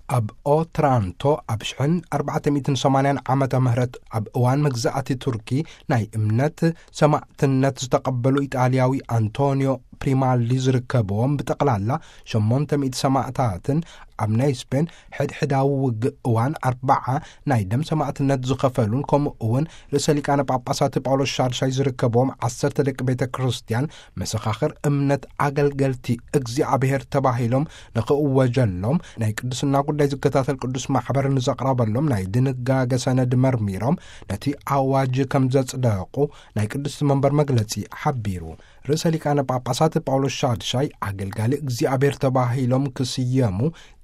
ኣብ ኦትራንቶ ኣብ ሽሕን ኣርባዕተ ሚእትን ሰማንያን ዓመተ ምህረት ኣብ እዋን መግዛእቲ ቱርኪ ናይ እምነት ሰማዕትነት ዝተቐበሉ ኢጣልያዊ ኣንቶኒዮ ፕሪማሊ ዝርከብዎም ብጠቕላላ ሸሞንተ ሚእቲ ሰማዕታትን ኣብ ናይ ስፔን ሕድሕዳዊ ውግእ እዋን ኣርባዓ ናይ ደም ሰማዕትነት ዝኸፈሉን ከምኡ እውን ርእሰ ሊቃነ ጳጳሳት ጳውሎስ ሻድሻይ ዝርከብዎም ዓሰርተ ደቂ ቤተ ክርስቲያን መሰኻኽር እምነት ኣገልገልቲ እግዚኣብሔር ተባሂሎም ንኽእወጀሎም ናይ ቅድስና ጉዳይ ዝከታተል ቅዱስ ማሕበር ንዘቕረበሎም ናይ ድንጋገ ሰነድ መርሚሮም ነቲ ኣዋጅ ከም ዘጽደቑ ናይ ቅድስቲ መንበር መግለጺ ሓቢሩ። ርእሰ ሊቃነ ጳጳሳት ጳውሎስ ሻድሻይ ኣገልጋሊ እግዚኣብሔር ተባሂሎም ክስየሙ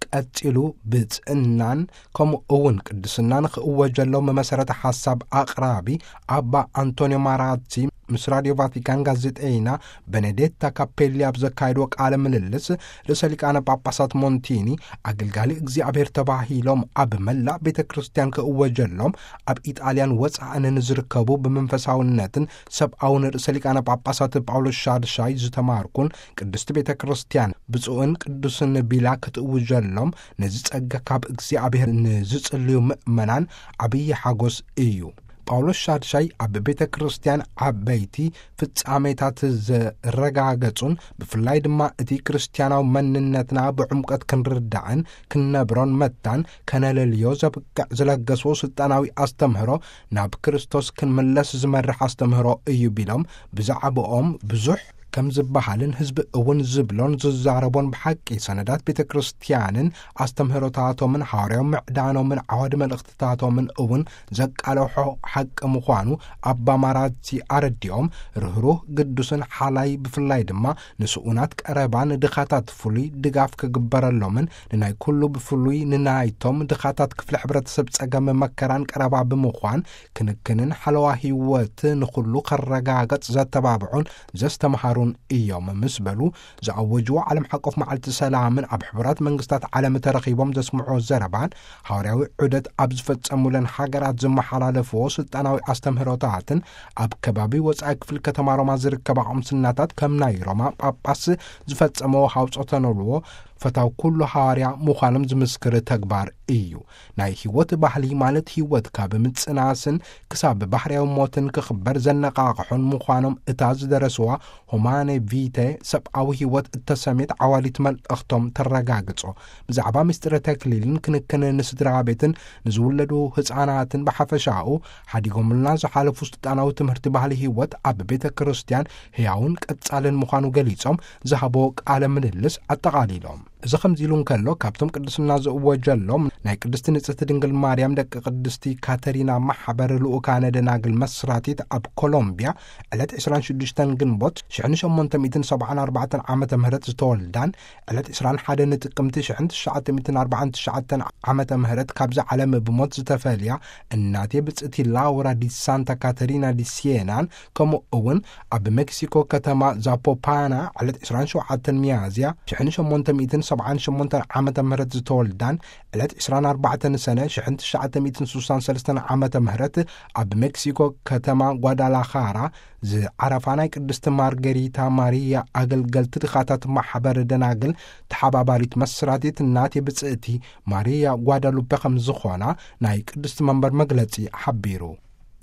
ቀጺሉ ብጽእናን ከምኡ እውን ቅድስናን ክእወጀሎም መሰረተ ሓሳብ ኣቕራቢ ኣባ ኣንቶኒዮ ማራቲ ምስ ራዲዮ ቫቲካን ጋዜጠይና በነዴታ ካፔሊ ኣብ ዘካየድዎ ቃለ ምልልስ ርእሰ ሊቃነ ጳጳሳት ሞንቲኒ ኣገልጋሊ እግዚኣብሔር ተባሂሎም ኣብ መላእ ቤተ ክርስቲያን ክእወጀሎም ኣብ ኢጣልያን ወጻእን ንዝርከቡ ብመንፈሳውነትን ሰብኣውን ርእሰ ሊቃነ ጳጳሳት ጳውሎስ ሻድሻይ ዝተማርኩን ቅድስቲ ቤተ ክርስቲያን ብፁዕን ቅዱስን ቢላ ክትእውጀሎም ነዚ ጸጋ ካብ እግዚኣብሔር ንዝጽልዩ ምእመናን ዓብዪ ሓጎስ እዩ። ጳውሎስ ሻድሻይ ኣብ ቤተ ክርስቲያን ዓበይቲ ፍጻሜታት ዘረጋገጹን ብፍላይ ድማ እቲ ክርስቲያናዊ መንነትና ብዕምቀት ክንርዳእን ክንነብሮን መታን ከነለልዮ ዘብቅዕ ዝለገስዎ ስልጣናዊ ኣስተምህሮ ናብ ክርስቶስ ክንምለስ ዝመርሕ ኣስተምህሮ እዩ ቢሎም ብዛዕባኦም ብዙሕ ከም ዝበሃልን ህዝቢ እውን ዝብሎን ዝዛረቦን ብሓቂ ሰነዳት ቤተ ክርስቲያንን ኣስተምህሮታቶምን ሃዋርያዊ ምዕዳኖምን ዓዋዲ መልእኽትታቶምን እውን ዘቃለሖ ሓቂ ምዃኑ ኣባ ማራቲ ኣረዲኦም ርህሩህ ግዱስን ሓላይ ብፍላይ ድማ ንስኡናት ቀረባን ድኻታት ፍሉይ ድጋፍ ክግበረሎምን ንናይ ኩሉ ብፍሉይ ንናይቶም ድኻታት ክፍሊ ሕብረተሰብ ጸገም መከራን ቀረባ ብምዃን ክንክንን ሓለዋ ህይወት ንኹሉ ከረጋገጽ ዘተባብዑን ዘስተምሃሩን እዮም ምስ በሉ ዝኣወጅዎ ዓለም ሓቆፍ መዓልቲ ሰላምን ኣብ ሕቡራት መንግስታት ዓለም ተረኺቦም ዘስምዑ ዘረባን ሃዋርያዊ ዑደት ኣብ ዝፈጸሙለን ሃገራት ዝመሓላለፍዎ ስልጣናዊ ኣስተምህሮታትን ኣብ ከባቢ ወጻኢ ክፍሊ ከተማ ሮማ ዝርከባ ቁምስናታት ከም ናይ ሮማ ጳጳስ ዝፈጸመዎ ሃውጾተ ነልዎ ፈታው ኩሉ ሃዋርያ ምዃኖም ዝምስክር ተግባር እዩ። ናይ ህይወት ባህሊ ማለት ህይወት ካብ ምጽናስን ክሳብ ባህርያዊ ሞትን ክኽበር ዘነቓቕሖን ምዃኖም እታ ዝደረስዋ ሆማኔ ቪተ ሰብኣዊ ህይወት እተሰሜት ዓዋሊት መልእኽቶም ተረጋግጾ። ብዛዕባ ምስጢረ ተክሊልን ክንክን ንስድራ ቤትን ንዝውለዱ ህፃናትን ብሓፈሻኡ ሓዲጎምልና ዝሓለፉ ስልጣናዊ ትምህርቲ ባህሊ ህይወት ኣብ ቤተ ክርስቲያን ህያውን ቀጻልን ምዃኑ ገሊጾም ዝሃቦ ቃለ ምልልስ ኣጠቓሊሎም። እዚ ከምዚ ኢሉ እንከሎ ካብቶም ቅድስና ዝእወጀሎም ናይ ቅድስቲ ንጽህቲ ድንግል ማርያም ደቂ ቅድስቲ ካተሪና ማሕበር ልኡካነ ደናግል መስራቲት ኣብ ኮሎምቢያ ዕለት ዕስራን ሽዱሽተን ግንቦት ሽሕን ሸሞንተ ሚእትን ሰብዓን ኣርባዕተን ዓመተ ምህረት ዝተወልዳን ዕለት ዕስራን ሓደን ጥቅምቲ ሽሕን ትሽዓተ ሚእትን ኣርባዓን ትሽዓተን ዓመተ ምህረት ካብዛ ዓለም ብሞት ዝተፈልያ እናቴ ብጽእቲ ላውራ ዲ ሳንታ ካተሪና ዲ ሲየናን ከምኡ እውን ኣብ ሜክሲኮ ከተማ ዛፖፓና ዕለት ዕስራን ሸውዓተን ሚያዝያ ሽሕን ሸሞንተ ሚእትን ሰብዓን ሸሞንተን ዓመተ ምህረት ዝተወልዳን ዕለት ዕስራን ኣርባዕተን ሰነ ሽሕን ትሽዓተ ሚእትን ስሳን ሰለስተን ዓመተ ምህረት ኣብ ሜክሲኮ ከተማ ጓዳላኻራ ዝዓረፋ ናይ ቅድስቲ ማርገሪታ ማሪያ ኣገልገልቲ ድኻታት ማሕበር ደናግል ተሓባባሪት መስራቲት እናቴ ብጽእቲ ማሪያ ጓዳሉፔ ከም ዝኾና ናይ ቅድስቲ መንበር መግለጺ ሓቢሩ።